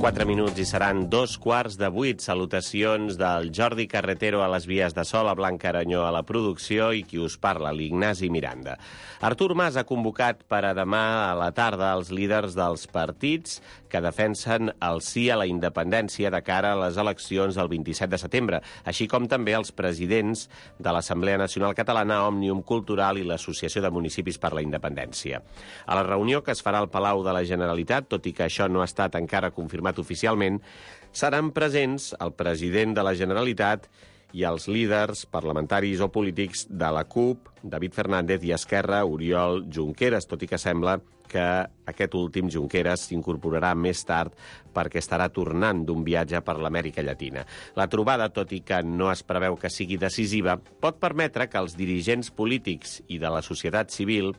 4 minuts i seran 2:15. Salutacions del Jordi Carretero a les vies de so, la Blanca Aranyó a la producció i qui us parla, l'Ignasi Miranda. Artur Mas ha convocat per a demà a la tarda els líders dels partits que defensen el sí a la independència de cara a les eleccions del 27 de setembre, així com també els presidents de l'Assemblea Nacional Catalana, Òmnium Cultural i l'Associació de Municipis per la Independència. A la reunió que es farà al Palau de la Generalitat, tot i que això no ha estat encara confirmat oficialment, seran presents el president de la Generalitat i els líders parlamentaris o polítics de la CUP, David Fernández, i Esquerra, Oriol Junqueras, tot i que sembla que aquest últim, Junqueras, s'incorporarà més tard perquè estarà tornant d'un viatge per l'Amèrica Llatina. La trobada, tot i que no es preveu que sigui decisiva, pot permetre que els dirigents polítics i de la societat civil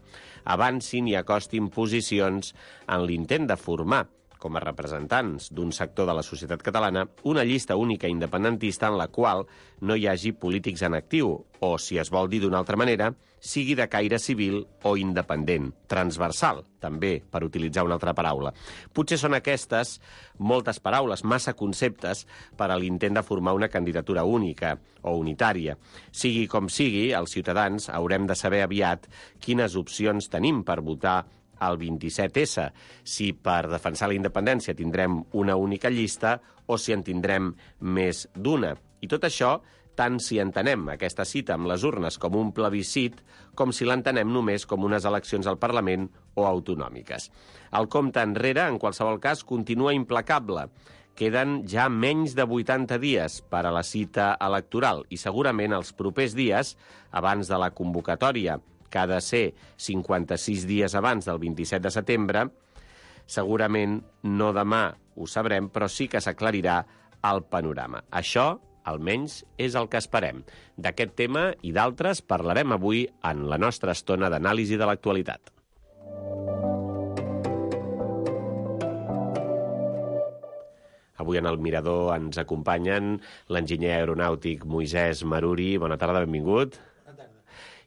avancin i acostin posicions en l'intent de formar, com a representants d'un sector de la societat catalana, una llista única independentista en la qual no hi hagi polítics en actiu, o, si es vol dir d'una altra manera, sigui de caire civil o independent, transversal, també, per utilitzar una altra paraula. Potser són aquestes moltes paraules, massa conceptes, per a l'intent de formar una candidatura única o unitària. Sigui com sigui, els ciutadans haurem de saber aviat quines opcions tenim per votar el 27S, si per defensar la independència tindrem una única llista o si en tindrem més d'una. I tot això, tant si entenem aquesta cita amb les urnes com un plebiscit, com si l'entenem només com unes eleccions al Parlament o autonòmiques. El compte enrere, en qualsevol cas, continua implacable. Queden ja menys de 80 dies per a la cita electoral i segurament els propers dies, abans de la convocatòria, que ha de ser 56 dies abans del 27 de setembre, segurament no demà ho sabrem, però sí que s'aclarirà el panorama. Això, almenys, és el que esperem. D'aquest tema i d'altres parlarem avui en la nostra estona d'anàlisi de l'actualitat. Avui en el Mirador ens acompanyen l'enginyer aeronàutic Moisès Maruri. Bona tarda, benvingut.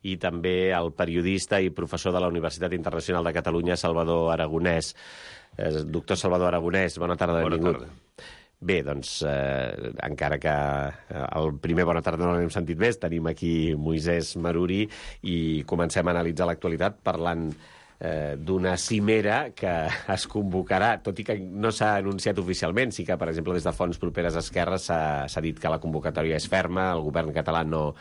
I també el periodista i professor de la Universitat Internacional de Catalunya, Salvador Aragonès. Doctor Salvador Aragonès, bona tarda, benvingut. Bona tarda. Bé, doncs, encara que el primer bona tarda no l'hem sentit més, tenim aquí Moisès Maruri i comencem a analitzar l'actualitat parlant d'una cimera que es convocarà, tot i que no s'ha anunciat oficialment. Sí que, per exemple, des de fonts properes a Esquerra s'ha dit que la convocatòria és ferma, el govern català no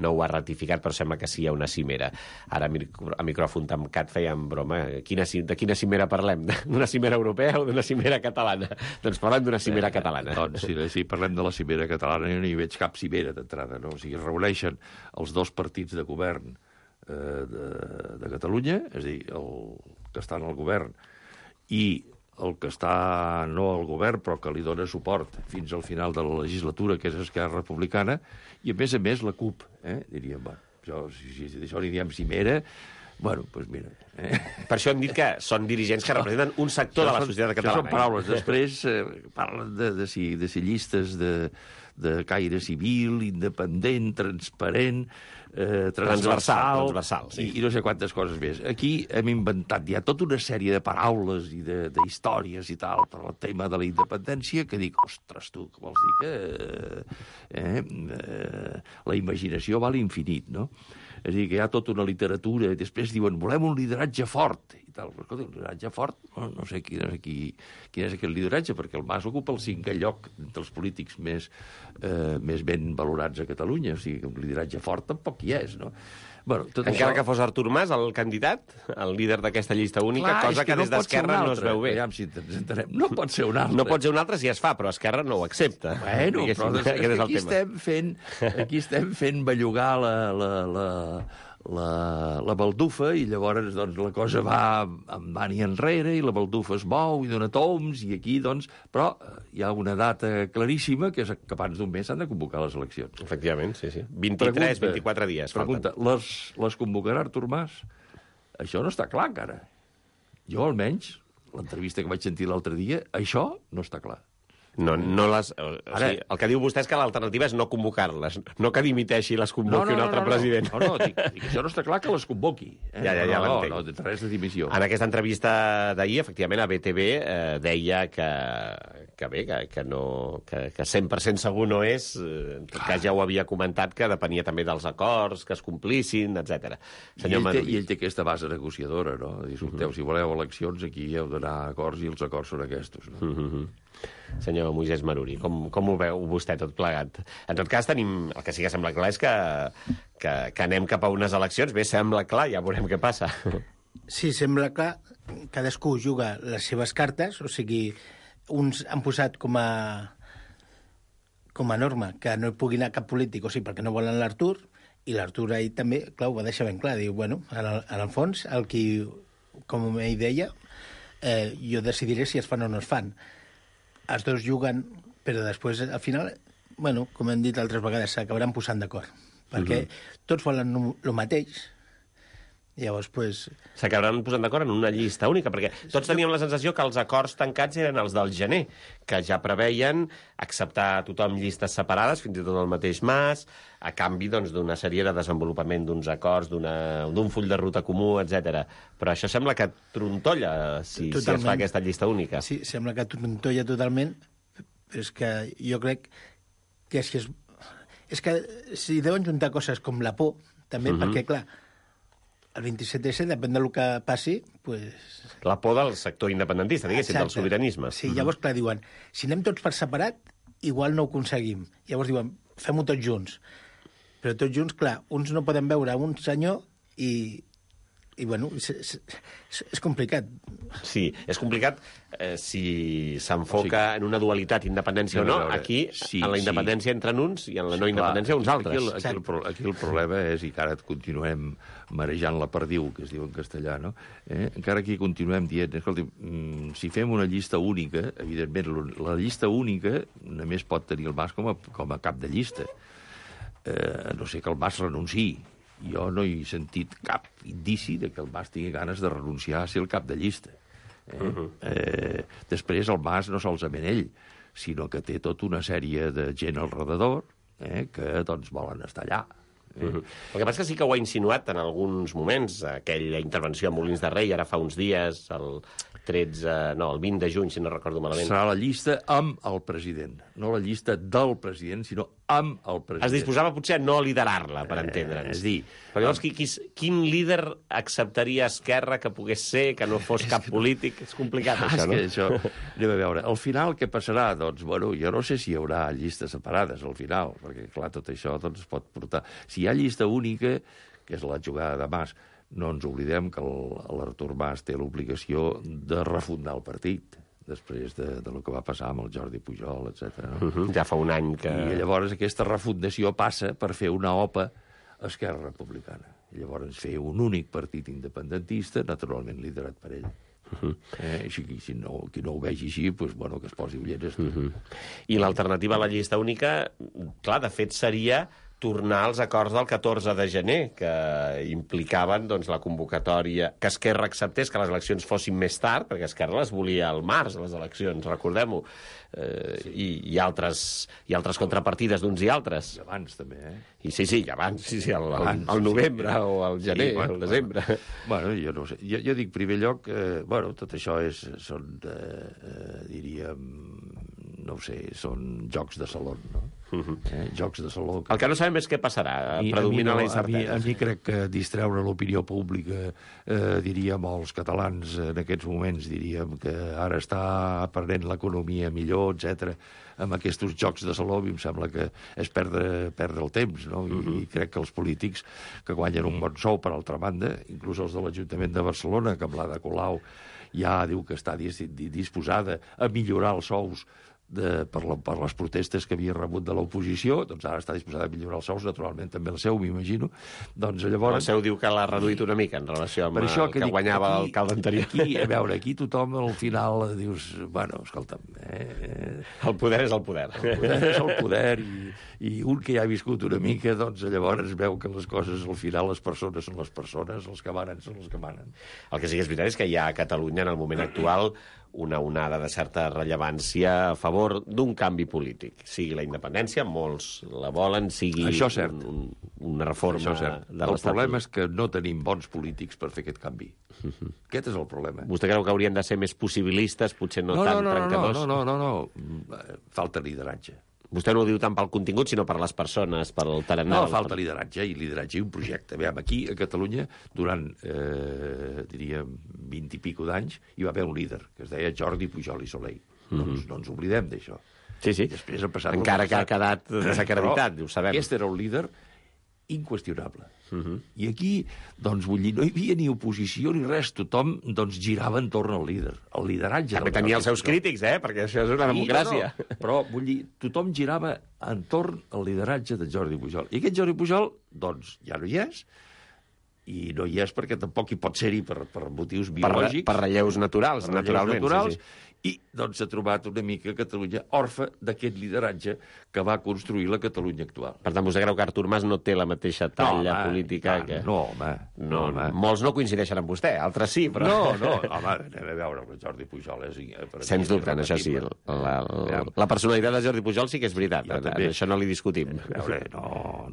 ho ha ratificat, però sembla que sí hi ha una cimera. Ara, a micròfon tancat, fèiem broma. De quina cimera parlem? D'una cimera europea o d'una cimera catalana? Doncs parlem d'una cimera catalana. Doncs si parlem de la cimera catalana, jo no hi veig cap cimera d'entrada, no? O sigui, es reuneixen els dos partits de govern de Catalunya, és a dir, el que està en el govern i el que està no al govern però que li dona suport fins al final de la legislatura, que és Esquerra Republicana, i a més la CUP, diríem, si d'això n'hi diem cimera, bueno, doncs mira. Per això hem dit que són dirigents que representen un sector de la societat catalana. Això són paraules. Després parlen de si llistes de caire civil, independent, transparent, transversal, sí. I no sé quantes coses més. Aquí hem inventat ja tota una sèrie de paraules i d'històries i tal per al tema de la independència que dic, ostres, tu, que vols dir que la imaginació va a l'infinit, no? És a dir, que hi ha tota una literatura i després diuen, volem un lideratge fort i tal. Però, escolta, un lideratge fort, no sé quin és aquest lideratge, perquè el Mas ocupa el 5è lloc dels polítics més ben valorats a Catalunya. O sigui, un lideratge fort tampoc hi és, no? Bueno, encara que fos Artur Mas el candidat, el líder d'aquesta llista única, clar, cosa que des d'Esquerra no es veu bé. Si ens entenem. No pot ser un altre. No pot ser un altre si es fa, però Esquerra no ho accepta. Bueno, però aquí estem fent bellugar la baldufa i llavors doncs, la cosa va endavant i enrere i la baldufa es mou i dona toms i aquí, doncs... Però hi ha una data claríssima que és que abans d'un mes s'han de convocar les eleccions. Efectivament, sí. 24 dies. Pregunta, les convocarà Artur Mas? Això no està clar encara. Jo, almenys, l'entrevista que vaig sentir l'altre dia, això no està clar. No les... O sigui, el que diu vostè és que l'alternativa és no convocar-les, no que dimiteixi i les convoqui un altre president. No, dic, això no està clar que les convoqui. Ja l'entenc. No, res de dimissió. En aquesta entrevista d'ahir, efectivament, a BTV deia que 100% segur no és, en tot cas ja ho havia comentat, que depenia també dels acords, que es complissin, etc. I ell té aquesta base negociadora, no? Escolteu, si voleu eleccions, aquí heu d'anar a acords i els acords són aquests, no? Senyor Moisès Maruri, com ho veu vostè tot plegat? En tot cas, el que sí que sembla clar és que anem cap a unes eleccions. Bé, sembla clar, ja veurem què passa. Sí, sembla clar. Cadascú juga les seves cartes, o sigui, uns han posat com a norma que no hi pugui anar cap polític, o sigui, perquè no volen l'Artur, i l'Artur ahir també, clar, ho va deixar ben clar. Diu, bueno, en el fons, com ell deia, jo decidiré si es fan o no es fan. Els dos juguen, però després, al final, bueno, com hem dit altres vegades, s'acabaran posant d'acord. Perquè tots volen el mateix. Llavors, pues... S'acabaran posant d'acord en una llista única, perquè tots teníem la sensació que els acords tancats eren els del gener, que ja preveien acceptar a tothom llistes separades, fins i tot el mateix Mas, a canvi d'una sèrie de desenvolupament d'uns acords, d'un full de ruta comú, etc. Però això sembla que trontolla si es fa aquesta llista única. Sí, sembla que trontolla totalment, però és que jo crec que és que si deuen juntar coses com la por, també, perquè, clar, el 27S, depèn del que passi, pues... La por del sector independentista, diguéssim, del sobiranisme. Sí, llavors, clar, diuen, si anem tots per separat, igual no ho aconseguim. Llavors diuen, fem-ho tots junts. Però tots junts, clar, uns no poden veure un senyor i bueno, és complicat. Sí, és complicat si s'enfoca en una dualitat, independència o no. Aquí, en la independència entren uns i en la no independència uns altres. Aquí el problema és, i que ara et continuem marejant la perdiu, que es diu en castellà, no? Encara aquí continuem dient, escolti, si fem una llista única, evidentment, la llista única només pot tenir el Mas com a cap de llista. No sé que el Mas renunciï. Jo no he sentit cap indici de que el Mas tingui ganes de renunciar a ser el cap de llista. Després el Mas no solament ell, sinó que té tota una sèrie de gent al redador que doncs volen estar allà. El que passa que sí que ho ha insinuat en alguns moments, aquella intervenció a Molins de Rei, ara fa uns dies, el 20 de juny, si no recordo malament. Serà la llista amb el president, no la llista del president, sinó amb el president. Es disposava potser a no liderar-la, per entendre'ns. És dir... Però llavors, quin líder acceptaria Esquerra que pogués ser, que no fos cap polític? És complicat, això, no? És que això... Anem a veure. Al final, què passarà? Doncs, bueno, jo no sé si hi haurà llistes separades al final, perquè, clar, tot això doncs, pot portar... Si hi ha llista única, que és la jugada de Mas, no ens oblidem que l'Artur Mas té l'obligació de refundar el partit després de lo que va passar amb el Jordi Pujol, etc. No? Ja fa un any que... I llavors aquesta refundació passa per fer una OPA a Esquerra Republicana. I llavors fer un únic partit independentista, naturalment liderat per ell. Qui no ho vegi així, doncs, bueno, que es posi ulleres. I l'alternativa a la llista única, clar, de fet seria tornar als acords del 14 de gener, que implicaven doncs, la convocatòria, que Esquerra acceptés que les eleccions fossin més tard, perquè Esquerra les volia al març, les eleccions, recordem-ho, i altres contrapartides d'uns i altres. I abans, també, Sí, i abans, al novembre o al gener, al desembre. Bueno, jo no sé. Jo dic, en primer lloc, tot això són, diríem, no ho sé, són jocs de saló, no? Jocs de saló. El que no sabem és què passarà, predomina la incertesa. A mi crec que distreure l'opinió pública, diríem, els catalans en aquests moments, diríem, que ara està aprenent l'economia millor, etc. Amb aquests jocs de saló, em sembla que és perdre el temps, no? I crec que els polítics que guanyen un bon sou, per altra banda, inclús els de l'Ajuntament de Barcelona, que amb l'Ada Colau ja diu que està disposada a millorar els sous per les protestes que havia rebut de l'oposició, doncs ara està disposada a millorar els sous, naturalment també el seu, m'imagino. Doncs llavors... El seu diu que l'ha reduït una mica en relació amb el que guanyava l'alcalde anterior. Aquí tothom al final dius, bueno, escolta'm... El poder és el poder. El poder és el poder, i un que ja ha viscut una mica, doncs llavors veu que les coses, al final, les persones són les persones, els que manen són els que manen. El que sí que és veritat és que hi ha a Catalunya, en el moment actual, una onada de certa rellevància a favor favor d'un canvi polític, sigui la independència, molts la volen, sigui una reforma de l'Estatut. El problema és que no tenim bons polítics per fer aquest canvi. Aquest és el problema. Vostè creu que haurien de ser més possibilistes, potser no tan trencadors? No. Falta lideratge. Vostè no ho diu tant pel contingut, sinó per les persones, pel tarannà. No, falta lideratge i un projecte. Aviam, aquí, a Catalunya, durant, diríem, 20 i pico d'anys, hi va haver un líder, que es deia Jordi Pujol i Soler. No ens oblidem d'això. Sí. Després ha passat encara que ha quedat desacreditat, ho sabem. Aquest era un líder inqüestionable. I aquí, doncs, vull dir, no hi havia ni oposició ni res, tothom, doncs, girava entorn al líder, el lideratge. També tenia els seus crítics, perquè això és una democràcia. No. Però, vull dir, tothom girava entorn al lideratge de Jordi Pujol. I aquest Jordi Pujol, doncs, ja no hi és, i no hi és perquè tampoc hi pot ser-hi per motius biològics. Per relleus naturals, naturalment. Sí. I, doncs, s'ha trobat una mica Catalunya orfe d'aquest lideratge que va construir la Catalunya actual. Per tant, vostè creu que Artur Mas no té la mateixa talla política que... No, home. Molts no coincideixen amb vostè, altres sí, però... No, home, anem a veure, el Jordi Pujol és... Sens dubte, això sí. La personalitat de Jordi Pujol sí que és veritat, això no li discutim. A veure,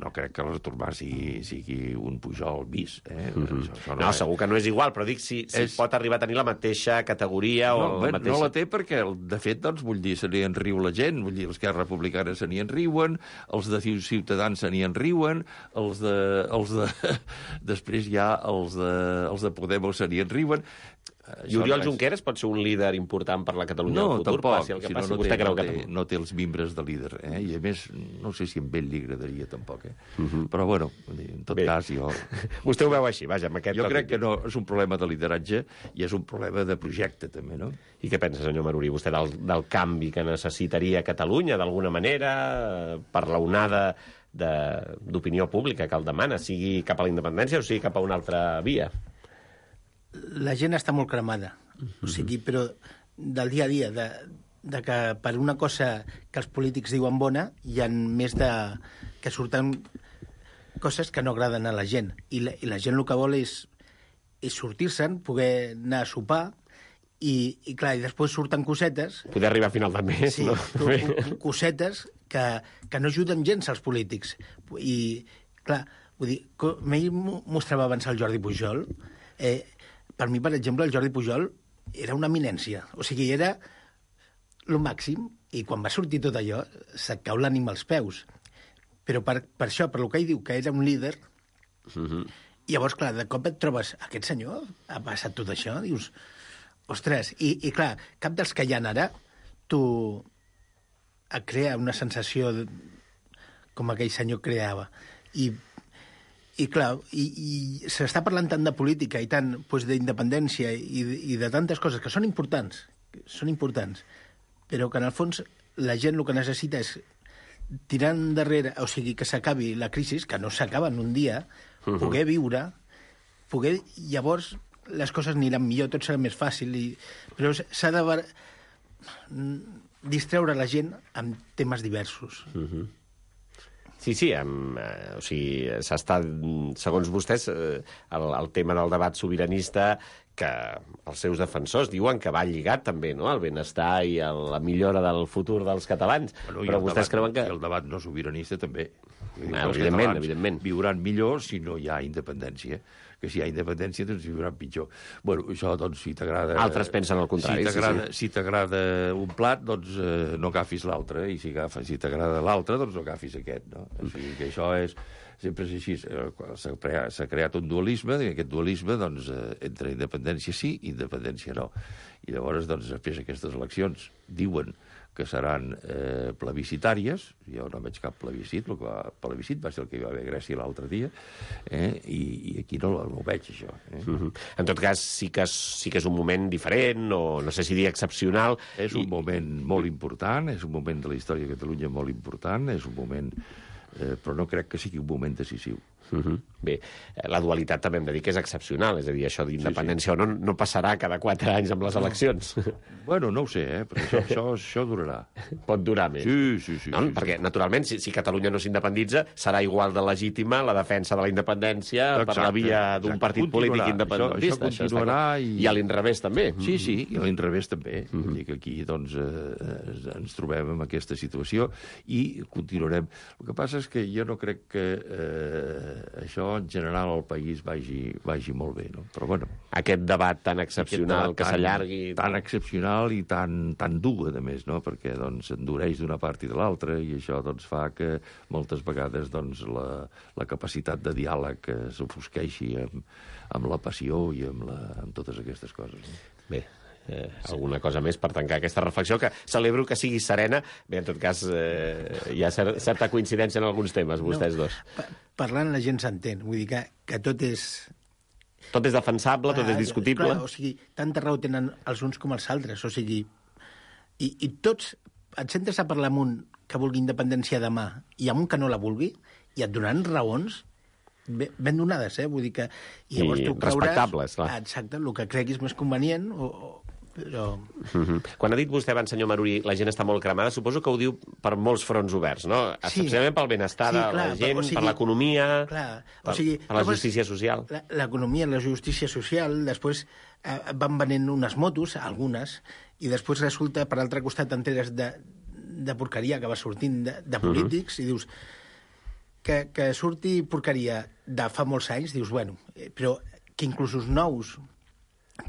no crec que l'Artur Mas sigui un Pujol bis. No, segur que no és igual, però dic si pot arribar a tenir la mateixa categoria o la mateixa... No la té perquè, de fet, doncs, vull dir, se n'hi enriu la gent, vull dir, els Esquerra Republicana se n'hi enriuen, els de Ciutadans se n'hi enriuen, els de... Després hi ha els de Podemos se n'hi enriuen. I Oriol Junqueras pot ser un líder important per la Catalunya del futur? Tampoc, passi el que passi, vostè creu que no té els mimbres de líder, i a més, no sé si a ell li agradaria tampoc, Però, bueno, en tot cas, jo... Vostè ho veu així, vaja, amb aquest... Jo crec que no és un problema de lideratge i és un problema de projecte, també, no? I què pensa, senyor Marurí, vostè del canvi que necessitaria Catalunya, d'alguna manera, per la onada d'opinió pública que el demana, sigui cap a la independència o sigui cap a una altra via? La gent està molt cremada, o sigui, però del dia a dia, de que per una cosa que els polítics diuen bona, hi ha més que surten coses que no agraden a la gent. I la gent el que vol és sortir-se'n, poder anar a sopar, i clar, i després surten cosetes... Poder arribar a final del mes, sí, no? Cosetes que no ajuden gens als polítics. I, clar, vull dir, m'ell mostrava abans el Jordi Pujol... Per mi, per exemple, el Jordi Pujol era una eminència. O sigui, era el màxim, i quan va sortir tot allò, se't cau l'ànima als peus. Però per això, per lo que ell diu, que era un líder, llavors, clar, de cop et trobes, aquest senyor ha passat tot això, dius, ostres, i clar, cap dels que hi ha ara, tu et crea una sensació com aquell senyor creava. I clar, i s'està parlant tant de política i tant d'independència i de tantes coses que són importants, però que en el fons la gent el que necessita és tirar endarrere, o sigui, que s'acabi la crisi, que no s'acaba en un dia, poder viure, llavors les coses aniran millor, tot serà més fàcil, però s'ha de distreure la gent amb temes diversos. Sí, o sigui, s'està, segons vostès, el tema del debat sobiranista, que els seus defensors diuen que va lligat també, no?, al benestar i a la millora del futur dels catalans. Però vostès creuen que... El debat no sobiranista també. Evidentment. Viuran millor si no hi ha independència. Que si hi ha independència, doncs viuran pitjor. Bueno, això, doncs, si t'agrada... Altres pensen el contrari. Si t'agrada un plat, doncs no agafis l'altre, i si t'agrada l'altre, doncs no agafis aquest, no? O sigui, que això és... Sempre és així. S'ha creat un dualisme, i aquest dualisme, doncs, entre independència sí i independència no. I llavors, doncs, després aquestes eleccions diuen que seran plebiscitàries. Jo no veig cap plebiscit. El plebiscit va ser el que hi va haver a Grècia l'altre dia, i aquí no ho veig, això. En tot cas, sí que és un moment diferent, o no sé si dir excepcional. És un moment molt important, és un moment de la història de Catalunya molt important, és un moment... però no crec que sigui un moment decisiu. Bé, la dualitat també hem de dir que és excepcional, és a dir, això d'independència o no passarà cada 4 anys amb les eleccions. Bueno, no ho sé, però això durarà. Pot durar més. Sí. No? Perquè, naturalment, si Catalunya no s'independitza, serà igual de legítima la defensa de la independència per la via d'un partit polític independentista. Això continuarà. I a l'inrevés, també. Sí, i a l'inrevés també. Vull dir que aquí doncs, ens trobem en aquesta situació i continuarem. El que passa és que jo no crec que això en general al país vagi molt bé, no? Però bueno. Aquest debat tan excepcional que s'allargui... Tan excepcional i tan dur, a més, no? Perquè doncs, endureix d'una part i de l'altra i això doncs, fa que moltes vegades doncs, la capacitat de diàleg s'ofusqueixi amb la passió i amb totes aquestes coses. No? Bé, alguna cosa més per tancar aquesta reflexió, que celebro que sigui serena. Bé, en tot cas, hi ha certa coincidència en alguns temes, vostès dos. Parlant la gent s'entén, vull dir que tot és... Tot és defensable, tot és discutible. Clar, o sigui, tanta raó tenen els uns com els altres, o sigui... I tots, et sentes a parlar amb un que vulgui independència demà i amb un que no la vulgui, i et donaran raons ben donades, vull dir que... I respectables, clar. Exacte, el que creguis més convenient, però... Quan ha dit vostè abans, senyor Maruri, la gent està molt cremada, suposo que ho diu per molts fronts oberts, no? Especialment pel benestar de la gent, per l'economia, per la justícia social. L'economia, la justícia social, després van venent unes motos, algunes, i després resulta, per l'altre costat, enteres de porqueria que va sortint de polítics, i dius que surti porqueria de fa molts anys, dius, bueno, però que inclús els nous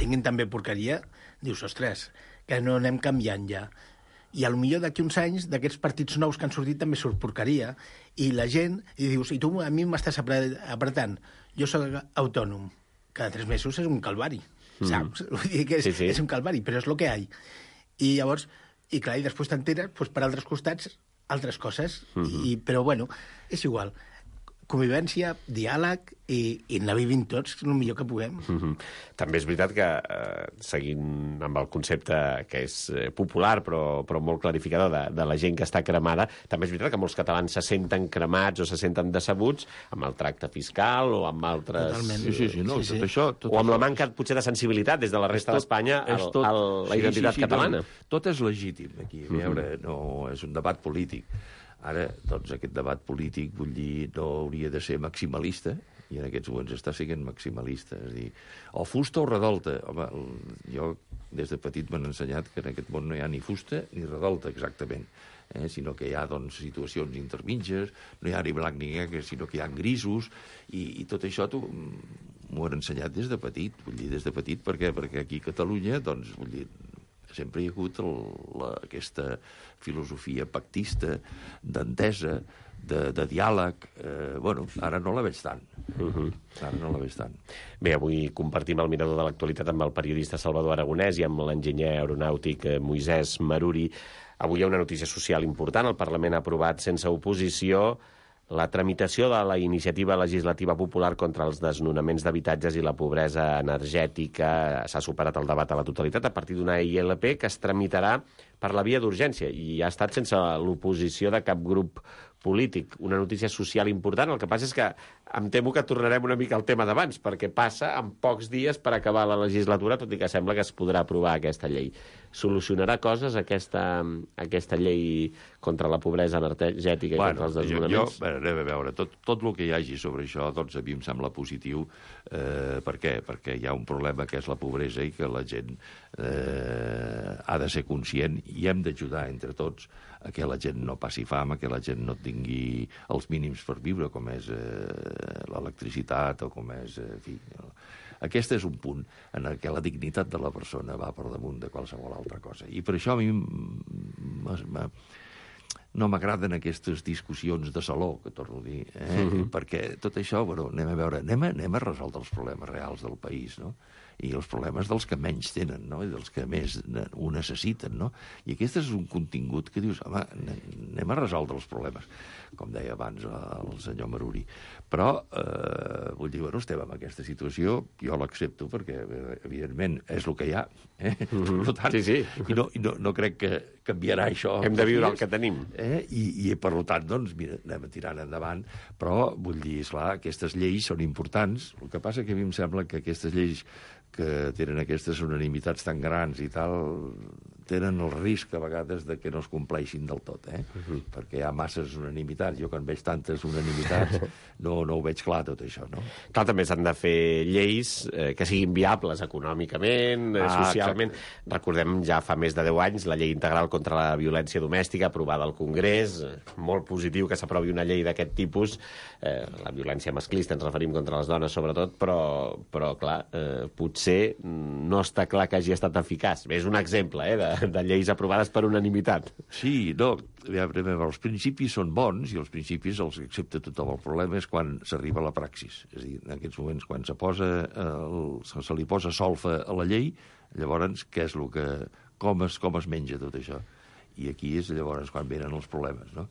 tinguin també porqueria, dius, ostres, que no anem canviant ja. I potser d'aquí uns anys, d'aquests partits nous que han sortit, també surt porqueria. I la gent, i dius, i tu a mi m'estàs apretant. Jo soc autònom. Cada 3 mesos és un calvari, saps? Vull dir que és un calvari, però és el que hi ha. I llavors, i clar, i després t'enteres, doncs, per altres costats, altres coses. Però, bueno, és igual. Convivència, diàleg i anar vivint tots el millor que puguem. També és veritat que, seguint amb el concepte que és popular però molt clarificador de la gent que està cremada, també és veritat que molts catalans se senten cremats o se senten decebuts amb el tracte fiscal o amb altres... Totalment. Sí. Tot o amb la manca, potser, de sensibilitat des de la resta d'Espanya a la identitat catalana. Tot és legítim aquí. A veure, no és un debat polític. Ara, doncs, aquest debat polític, vull dir, no hauria de ser maximalista, i en aquests moments està sent maximalista. És a dir, o fusta o redolta. Home, jo des de petit m'han ensenyat que en aquest món no hi ha ni fusta ni redolta, exactament, sinó que hi ha, doncs, situacions intermitges, no hi ha ni blanc ni negre, sinó que hi ha grisos, i tot això m'ho han ensenyat des de petit, vull dir, des de petit, perquè aquí a Catalunya, doncs, vull dir, sempre hi ha hagut aquesta filosofia pactista, d'entesa, de diàleg. Bueno, ara no la veig tant. Ara no la veig tant. Bé, avui compartim el mirador de l'actualitat amb el periodista Salvador Aragonès i amb l'enginyer aeronàutic Moisès Maruri. Avui hi ha una notícia social important. El Parlament ha aprovat sense oposició la tramitació de la iniciativa legislativa popular contra els desnonaments d'habitatges i la pobresa energètica. S'ha superat el debat a la totalitat a partir d'una ILP que es tramitarà per la via d'urgència i ha estat sense l'oposició de cap grup polític. Una notícia social important. El que passa és que em temo que tornarem una mica al tema d'abans, perquè passa en pocs dies per acabar la legislatura, tot i que sembla que es podrà aprovar aquesta llei. Solucionarà coses aquesta llei contra la pobresa energètica i contra els desnonaments? Anem a veure, tot el que hi hagi sobre això, doncs a mi em sembla positiu. Per què? Perquè hi ha un problema que és la pobresa i que la gent ha de ser conscient i hem d'ajudar entre tots a que la gent no passi fam, a que la gent no tingui els mínims per viure, com és l'electricitat o com és... En fi, aquest és un punt en què la dignitat de la persona va per damunt de qualsevol altra cosa. I per això a mi no m'agraden aquestes discussions de saló, que torno a dir, perquè tot això, bueno, anem a resoldre els problemes reals del país, no? i els problemes dels que menys tenen, no? I dels que més ho necessiten, no? I aquest és un contingut que dius, home, anem a resoldre els problemes, com deia abans el senyor Maruri. Però, vull dir, bueno, estem en aquesta situació, jo l'accepto perquè, evidentment, és el que hi ha. Per tant, sí. I no crec que canviarà això. Hem de viure el que tenim. I per tant, doncs, mira, anem tirant endavant, però, vull dir, esclar, aquestes lleis són importants. El que passa que a mi em sembla que aquestes lleis que tenen aquestes unanimitats tan grans i tal, tenen el risc a vegades de que no es compleixin del tot, perquè hi ha masses unanimitats. Jo quan veig tantes unanimitats no ho veig clar tot això, no? Clar, també s'han de fer lleis que siguin viables econòmicament, socialment. Exacte. Recordem ja fa més de 10 anys la llei integral contra la violència domèstica aprovada al Congrés, molt positiu que s'aprovi una llei d'aquest tipus, la violència masclista ens referim contra les dones sobretot, però clar, potser no està clar que hagi estat eficaç. És un exemple de lleis aprovades per unanimitat. Sí, no, els principis són bons i els principis els accepta tothom. El problema és quan s'arriba a la praxis. És a dir, en aquests moments, quan se li posa solfa a la llei, llavors, què és el que... com es menja tot això? I aquí és llavors quan venen els problemes, no?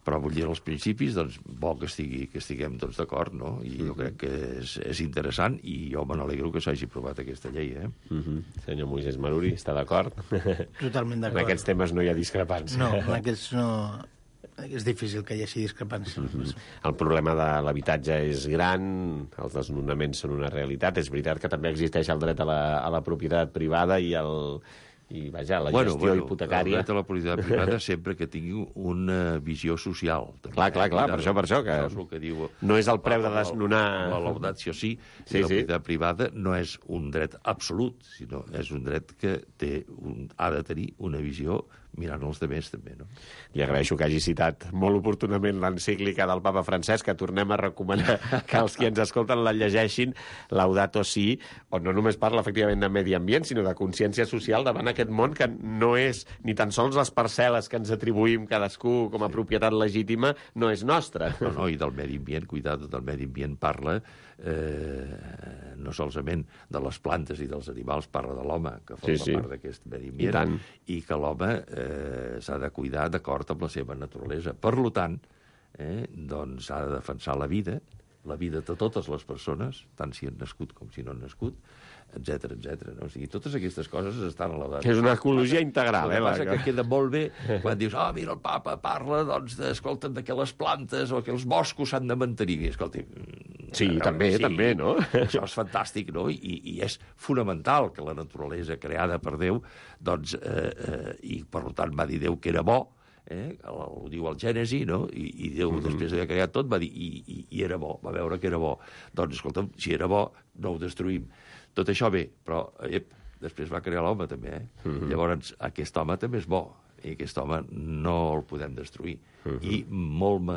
Però vull dir, els principis, doncs, bo que estiguem tots d'acord, no? I jo crec que és interessant i jo me n'alegro que s'hagi aprovat aquesta llei, Senyor Moisés Maruri, està d'acord? Totalment d'acord. En aquests temes no hi ha discrepància. No, en aquests no... És difícil que hi hagi discrepància. El problema de l'habitatge és gran, els desnonaments són una realitat. És veritat que també existeix el dret a la propietat privada i vaja, la gestió hipotecària. El dret a la propietat privada sempre que tingui una visió social. Clar, per això, que és el que diu, no és el preu de desnonar... La laudatio si, la propietat privada no és un dret absolut, sinó és un dret que ha de tenir una visió mirant els demés, també, no? Li agraeixo que hagi citat molt oportunament l'encíclica del papa Francesc, que tornem a recomanar que els qui ens escolten la llegeixin, Laudato Si, on no només parla efectivament de medi ambient, sinó de consciència social davant aquest món que no és ni tan sols les parcel·les que ens atribuïm cadascú com a propietat legítima, no és nostra. No, i del medi ambient, cuidado, del medi ambient parla no solament de les plantes i dels animals, parla de l'home, que forma part d'aquest medi ambient, i que l'home s'ha de cuidar d'acord amb la seva naturalesa. Per tant, doncs s'ha de defensar la vida de totes les persones, tant si han nascut com si no han nascut, etc. No? O sigui, totes aquestes coses estan a la data. És una ecologia integral, El que passa que queda molt bé quan dius, mira, el papa parla, doncs, escolta, que les plantes o que els boscos s'han de mantenir. I, escolti... Sí, també, no? Això és fantàstic, no? I és fonamental que la naturalesa creada per Déu, doncs, i per tant va dir Déu que era bo, ho diu el Gènesi, no? I Déu, després d'haver creat tot, va dir i era bo, va veure que era bo. Doncs, escolta'm, si era bo, no ho destruïm. Tot això bé, però després va crear l'home, també, Llavors, aquest home també és bo, i aquest home no el podem destruir. I molt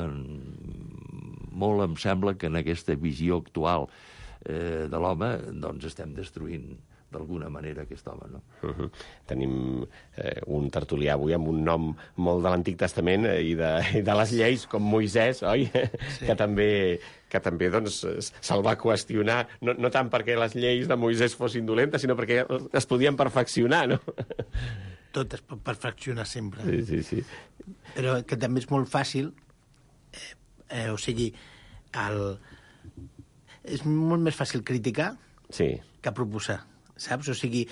em sembla que en aquesta visió actual de l'home, doncs estem destruint d'alguna manera aquest home, no? Tenim un tertulià avui amb un nom molt de l'Antic Testament i de les lleis, com Moisès, oi? Sí. Que també doncs, se'l va qüestionar, no tant perquè les lleis de Moisès fossin dolentes, sinó perquè es podien perfeccionar, no? Tot es pot perfeccionar sempre. Sí. Però que també és molt fàcil, o sigui, és molt més fàcil criticar que proposar. Saps? O sigui,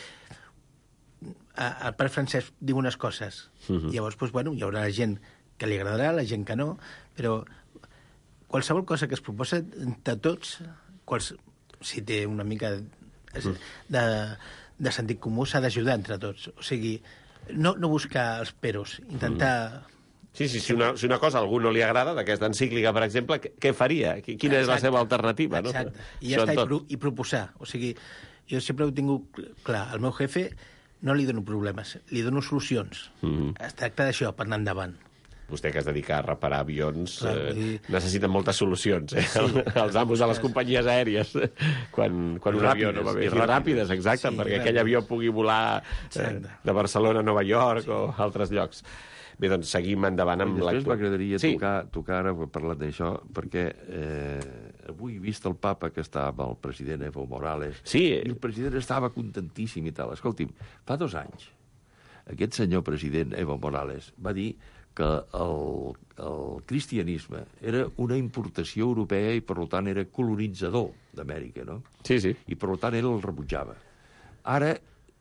el pare Francesc diu unes coses, llavors, doncs, bueno, hi haurà la gent que li agradarà, la gent que no, però qualsevol cosa que es proposa de tots, si té una mica de sentit comú, s'ha d'ajudar entre tots. O sigui, no buscar els peros, intentar... Sí, si una cosa a algú no li agrada, d'aquesta encíclica, per exemple, què faria? Quina és la seva alternativa? Exacte, no? I ja està, i proposar. O sigui, jo sempre ho he tingut clar. Al meu jefe no li dono problemes, li dono solucions. Es tracta d'això, per anar endavant. Vostè, que es dedica a reparar avions, necessita moltes solucions, els amos de les companyies aèries, quan un avió no va bé. I ràpides, exacte, perquè aquell avió pugui volar de Barcelona a Nova York o altres llocs. Bé, doncs seguim endavant amb després m'agradaria tocar ara, parlant d'això, perquè avui he vist el papa que està amb el president Evo Morales, Sí. i el president estava contentíssim i tal. Escolti'm, fa 2 anys, aquest senyor president Evo Morales va dir que el cristianisme era una importació europea i, per tant, era colonitzador d'Amèrica, no? Sí, sí. I, per tant, ell el rebutjava. Ara,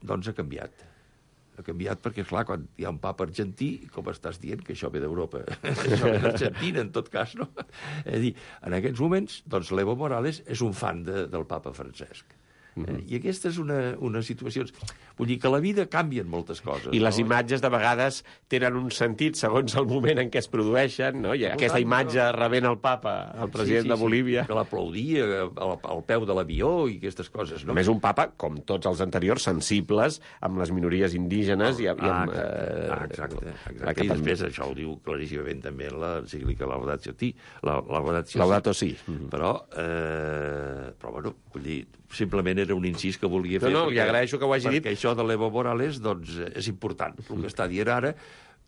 doncs, ha canviat. Ha canviat perquè, clar, quan hi ha un papa argentí, com estàs dient que això ve d'Europa? Això ve d'Argentina, en tot cas, no? És a dir, en aquests moments, doncs, l'Evo Morales és un fan del papa Francesc. I aquesta és una situació... Vull dir que a la vida canvien moltes coses. I les imatges, de vegades, tenen un sentit segons el moment en què es produeixen, no? I aquesta imatge rebent el papa, el president de Bolívia... Que l'aplaudia al peu de l'avió i aquestes coses, no? Només un papa, com tots els anteriors, sensibles amb les minories indígenes i amb... Exacte. I després això ho diu claríssimament també en l'encíclica Laudatio Si. Laudato Si. Però, bueno, vull dir, simplement era un incís que volia fer. No, li agraeixo que ho hagi dit. Perquè això de l'Evo Morales, doncs, és important. El que està dient ara,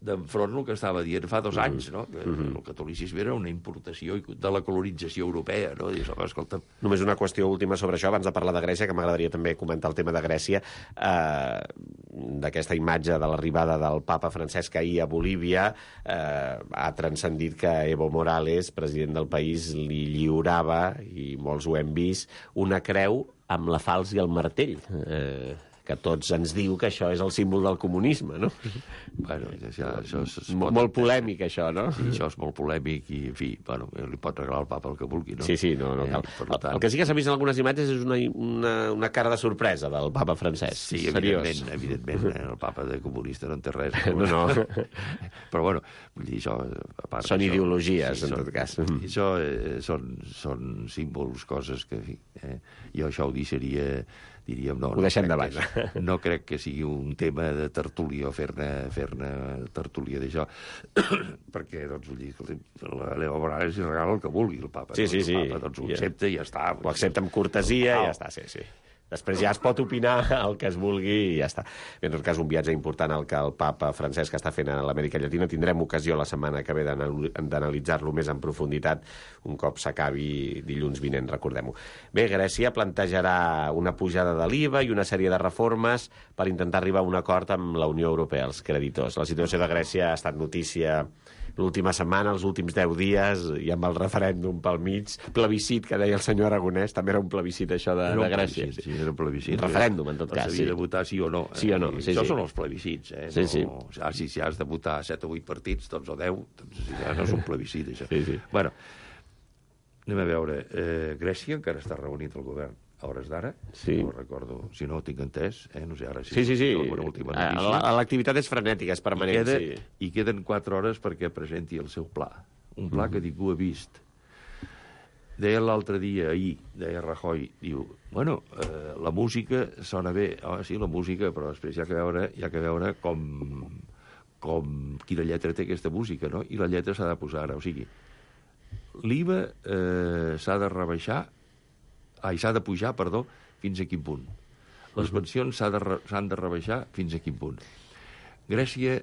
d'enfront el que estava dient fa 2 anys, no? Que el catolicisme era una importació de la colonització europea, no? Dius, home, escolta... Només una qüestió última sobre això, abans de parlar de Grècia, que m'agradaria també comentar el tema de Grècia, d'aquesta imatge de l'arribada del papa Francesc ahir a Bolívia, ha transcendit que Evo Morales, president del país, li lliurava, i molts ho hem vist, una creu amb la falç i el martell, que tots ens diu que això és el símbol del comunisme, no? Bueno, això és molt polèmic, això, no? Sí, això és molt polèmic i, en fi, bueno, li pot regalar al papa el que vulgui, no? Sí, no cal. El que sí que s'ha vist en algunes imatges és una cara de sorpresa del papa Francesc. Sí, evidentment, el papa de comunista no en té res. No. Però, bueno, vull dir, això... Són ideologies, en tot cas. Això són símbols, coses que, en fi, jo això ho diríem, no. Ho deixem de banda. No crec que sigui un tema de tertúlia o fer-ne tertúlia d'això, perquè, doncs, vull dir, l'Evo Morales li regala el que vulgui, el papa. Sí. El papa, doncs, ho accepta i ja està. Ho accepta amb cortesia i ja està, sí. Després ja es pot opinar el que es vulgui i ja està. Bé, en tot cas, un viatge important el que el papa Francesc està fent a l'Amèrica Llatina. Tindrem ocasió la setmana que ve d'analitzar-lo més en profunditat un cop s'acabi dilluns vinent, recordem-ho. Bé, Grècia plantejarà una pujada de l'IVA i una sèrie de reformes per intentar arribar a un acord amb la Unió Europea, els creditors. La situació de Grècia ha estat notícia l'última setmana, els últims 10 dies, i amb el referèndum pel mig, plebiscit, que deia el senyor Aragonès, també era un plebiscit, això de Grècia. Sí, era un plebiscit. Referèndum, en tot cas. S'havia de votar sí o no. Sí o no, sí. Això són els plebiscits, Sí. Si has de votar 7 o 8 partits, doncs, o 10, doncs ja no és un plebiscit, això. Sí. Bueno, anem a veure. Grècia encara està reunit el govern a hores d'ara, sí. No recordo, si no ho tinc entès, no sé, ara sí. Alguna última notícia. L'activitat és frenètica, és permanent, I queden 4 hores perquè presenti el seu pla. Un pla que ningú ha vist. Deia l'altre dia, ahir, deia Rajoy, diu, bueno, la música sona bé. Sí, la música, però després hi ha que veure com quina lletra té aquesta música, no? I la lletra s'ha de posar ara, o sigui, l'IVA s'ha de pujar, fins a quin punt. Les pensions s'han de rebaixar fins a quin punt. Grècia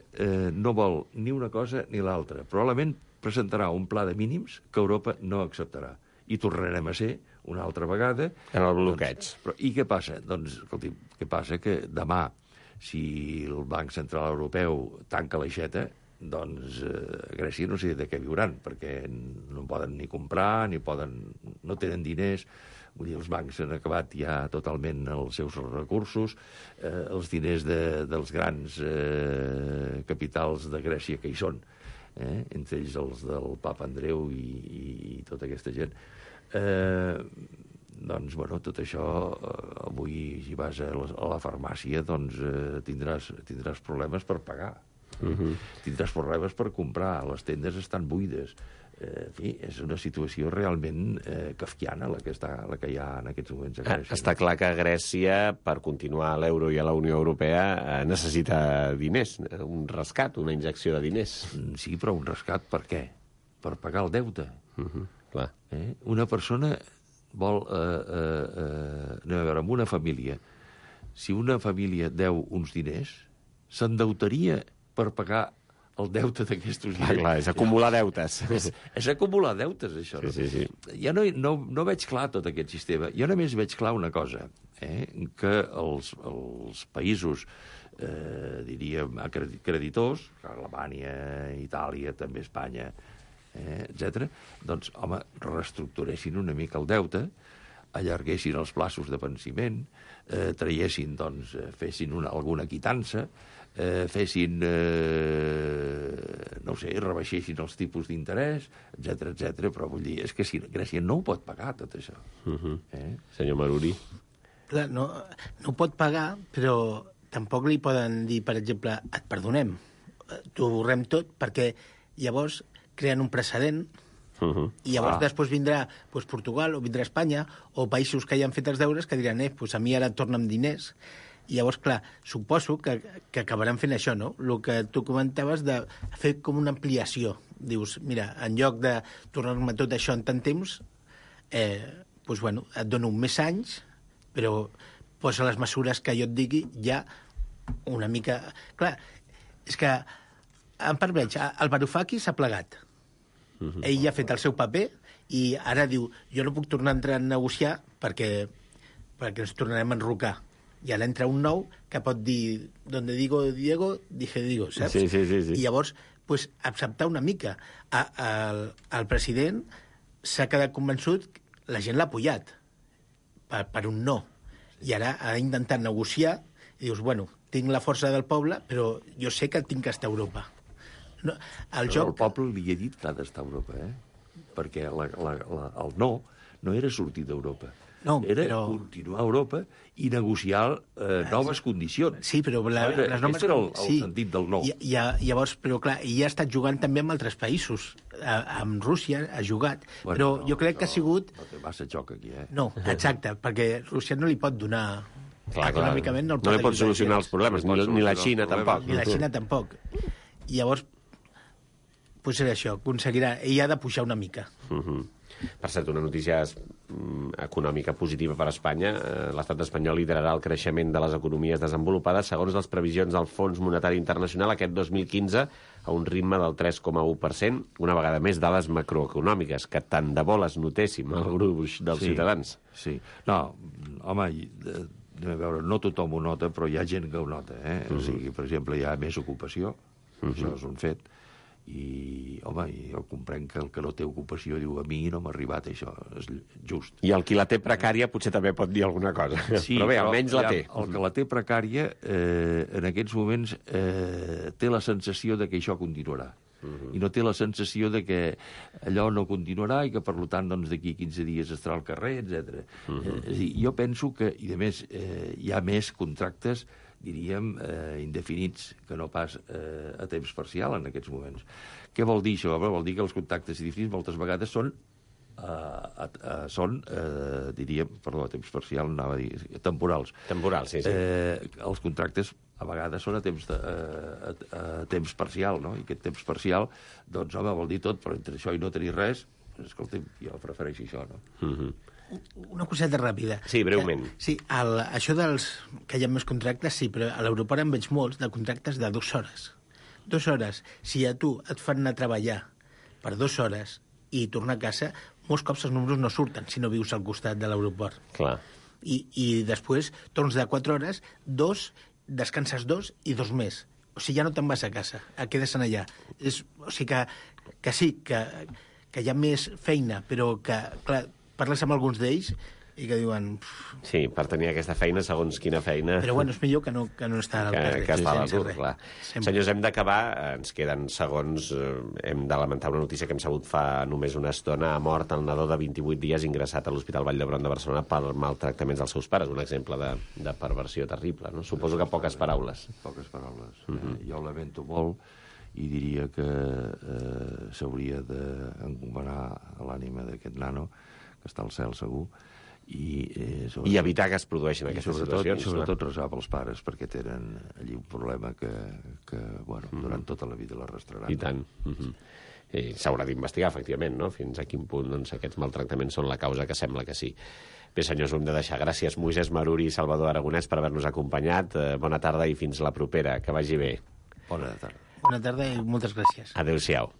no vol ni una cosa ni l'altra. Probablement presentarà un pla de mínims que Europa no acceptarà. I tornarem a ser una altra vegada... En el bloqueig. I què passa? Doncs, escolti, què passa? Que demà, si el Banc Central Europeu tanca l'aixeta, doncs Grècia no sé de què viuran, perquè no poden ni comprar, no tenen diners. Vull dir, els bancs han acabat ja totalment els seus recursos, els diners dels grans capitals de Grècia que hi són, entre ells els del papa Andreu i tota aquesta gent. Doncs, bueno, tot això, avui, si vas a la farmàcia, doncs tindràs problemes per pagar. Tindràs problemes per comprar, les tendes estan buides. En fi, és una situació realment kafkiana la que hi ha en aquests moments a Grècia. Està clar que Grècia, per continuar a l'euro i a la Unió Europea, necessita diners, un rescat, una injecció de diners. Sí, però un rescat per què? Per pagar el deute. Clar. Una persona vol... anem a veure, amb una família. Si una família deu uns diners, s'endeutaria per pagar el deute d'aquestos gent. Clar, és acumular deutes. És acumular deutes, això. Sí, sí. Ja no veig clar tot aquest sistema. Jo només veig clar una cosa, que els països, diríem, creditors, Alemanya, Itàlia, també Espanya, etc., doncs, home, reestructuressin una mica el deute, allarguessin els plaços de venciment, traiessin, doncs, fessin alguna quitança, fessin, no sé, rebaixessin els tipus d'interès, etc. Però vull dir, és que si Grècia no ho pot pagar, tot això. Senyor Maruri. Clar, no ho pot pagar, però tampoc li poden dir, per exemple, et perdonem, t'ho borrem tot, perquè llavors creen un precedent i llavors després vindrà Portugal o vindrà Espanya o països que ja han fet els deures que diran, a mi ara torna'm diners. I llavors, clar, suposo que acabaran fent això, no? El que tu comentaves de fer com una ampliació. Dius, mira, en lloc de tornar-me tot això en tant temps, bueno, et dono més anys, però posa les mesures que jo et digui ja una mica... Clar, és que en part veig, el Varoufakis s'ha plegat. Ell ja ha fet el seu paper i ara diu, jo no puc tornar a entrar a negociar perquè ens tornarem a enrocar. I ara entra un nou que pot dir donde digo Diego, dije Diego, saps? Sí. I llavors, acceptar una mica. El president s'ha quedat convençut, la gent l'ha apoyat per un no. I ara ha d'intentar negociar i dius, bueno, tinc la força del poble, però jo sé que tinc que estar a Europa. No, el poble li ha dit que ha d'estar a Europa, perquè el no era sortir d'Europa. No, era continuar a Europa i negociar noves condicions. Sí, però les noves... Aquest era el sentit del no. Llavors, però clar, ell ha estat jugant també amb altres països. Amb Rússia ha jugat, però jo crec que ha sigut... No té massa joc aquí, No, exacte, perquè Rússia no li pot donar... Econòmicament no li pot solucionar els problemes, ni la Xina tampoc. Ni la Xina tampoc. I llavors, potser això, aconseguirà... Ell ha de pujar una mica. Per cert, una notícia econòmica positiva per a Espanya. L'estat espanyol liderarà el creixement de les economies desenvolupades segons les previsions del Fons Monetari Internacional aquest 2015 a un ritme del 3,1%, una vegada més dades macroeconòmiques, que tant de bo les notéssim al gruix dels ciutadans. Sí. No, home, a veure, no tothom ho nota, però hi ha gent que ho nota. O sigui, per exemple, hi ha més ocupació, això és un fet, i, home, jo comprenc que el que no té ocupació diu, a mi no m'ha arribat això, és just. I el qui la té precària potser també pot dir alguna cosa. Sí, però bé, almenys la té. El que la té precària, en aquests moments, té la sensació de que això continuarà. I no té la sensació de que allò no continuarà i que, per tant, doncs, d'aquí 15 dies estarà al carrer, etc. Jo penso que, i a més, hi ha més contractes, diríem, indefinits, que no pas a temps parcial en aquests moments. Què vol dir això? Vol dir que els contractes indefinits moltes vegades són, diríem, perdó, a temps parcial, anava a dir, temporals. Temporals, sí. Els contractes a vegades són a temps parcial, no? I aquest temps parcial, doncs, home, vol dir tot, però entre això i no tenir res, escolta'm, jo prefereixo això, no? Una coseta ràpida. Sí, breument. Sí, això dels que hi ha més contractes, sí, però a l'aeroport en veig molts de contractes de 2 hores. 2 hores. Si a tu et fan anar a treballar per 2 hores i tornar a casa, molts cops els números no surten si no vius al costat de l'aeroport. Clar. I després torns de 4 hores, 2, descanses 2 i 2 més. O sigui, ja no te'n vas a casa, quedes allà. O sigui que sí, que hi ha més feina, però que, clar, parles amb alguns d'ells i que diuen... Sí, per tenir aquesta feina, segons quina feina... Però bueno, és millor que no estar al carrer. Que estar a l'atur, clar. Senyors, hem d'acabar, ens queden segons, hem de lamentar una notícia que hem sabut fa només una estona. Ha mort el nadó de 28 dies ingressat a l'Hospital Vall d'Hebron de Barcelona per maltractaments dels seus pares. Un exemple de perversió terrible, no? Suposo que poques paraules. Poques paraules. Jo ho lamento molt i diria que s'hauria d'encomanar a l'ànima d'aquest nano, que està al cel segur, i evitar que es produeixin aquestes situacions. I sobretot resar pels pares, perquè tenen allí un problema que durant tota la vida l'arrastraran. I tant. I s'haurà d'investigar, efectivament, no? Fins a quin punt aquests maltractaments són la causa, que sembla que sí. Bé, senyors, ho hem de deixar. Gràcies, Moisès Maruri i Salvador Aragonès, per haver-nos acompanyat. Bona tarda i fins la propera. Que vagi bé. Bona tarda. Bona tarda i moltes gràcies. Adéu-siau.